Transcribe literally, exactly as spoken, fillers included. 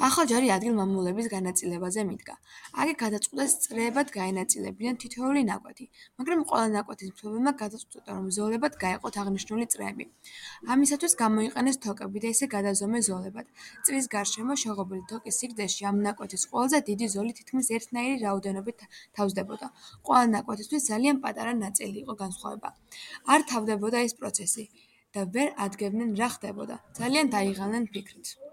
ახალჯარი ადგილ-მამულების განაწილებაზე მიდგა. აქ გადაწყვიტეს სწრებად გაენაწილებინათ თითოეული ნაკვეთი, მაგრამ ყველა ნაკვეთის მფლობელმა გადაწყვიტა, რომ ზოლებად გაეყოთ აღნიშნული წრეები. ამისათვის გამოიყენეს თოკები და ისე გადაზომეს ზოლებად. წრის გარშემო შეღობილი თოკის სიგრძეში ამ ნაკვეთის ყველაზე დიდი ზოლი თითქმის ერთნაირი რაოდენობით თავსდებოდა. ყველა ნაკვეთისთვის ძალიან პატარა ნაწილი იყო განსხვავება. არ თავდებოდა ეს პროცესი და ვერ ადგენდნენ რა ხდებოდა. ძალიან დაიღალნენ ფიქრით.